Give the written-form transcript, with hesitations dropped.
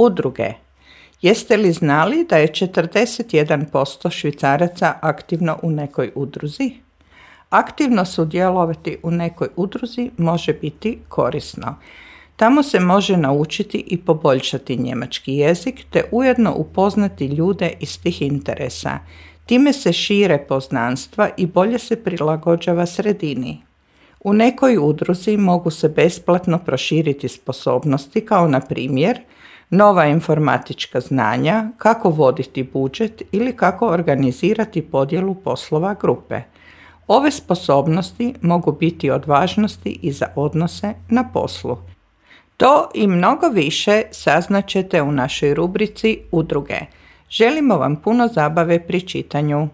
Udruge. Jeste li znali da je 41% Švicaraca aktivno u nekoj udruzi? Aktivno sudjelovati u nekoj udruzi može biti korisno. Tamo se može naučiti i poboljšati njemački jezik te ujedno upoznati ljude istih interesa. Time se šire poznanstva i bolje se prilagođava sredini. U nekoj udruzi mogu se besplatno proširiti sposobnosti kao na primjer nova informatička znanja, kako voditi budžet ili kako organizirati podjelu poslova grupe. Ove sposobnosti mogu biti od važnosti i za odnose na poslu. To i mnogo više saznaćete u našoj rubrici Udruge. Želimo vam puno zabave pri čitanju.